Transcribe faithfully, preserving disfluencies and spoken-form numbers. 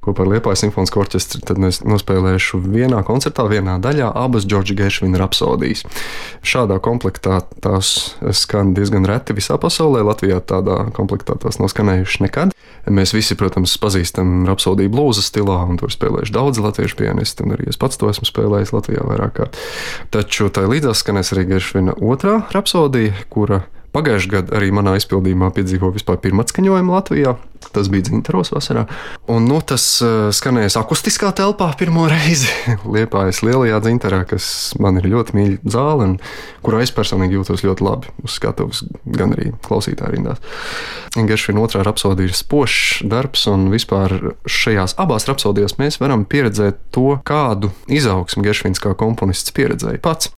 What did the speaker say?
Kopā ar Liepājas simfonisko orķestri tad es nospēlēšu vienā koncertā, vienā daļā abas Džordža Geršvina rapsodijas. Šādā komplektā tās skan diezgan reti visā pasaulē. Latvijā tādā komplektā tās nav skanējušas nekad. Mēs visi, protams, pazīstam rapsodiju blūza stilā, un tur spēlējuši daudz latviešu pianisti, un arī es pats to esmu spēlējis Latvijā vairāk kārt. Taču tai līdzās skanēs arī Geršvina otrā rapsodija, kura pagājušajā gadā arī manā izpildījumā piedzīvoja vispār pirmatskaņojumu Latvijā. Tas bija Dzintaros vasarā. Un, nu, tas skanēs akustiskā telpā pirmo reizi Liepājas lielajā Dzintarā, kas man ir ļoti mīļa zāle, un kurā es personīgi jūtos ļoti labi uz skatuves, gan arī klausītāju rindās. Geršvina otrā rapsodija ir spožs darbs, un vispār šajās abās rapsodijās mēs varam pieredzēt to, kādu izaugsmu Geršvins kā komponists pieredzēja pats.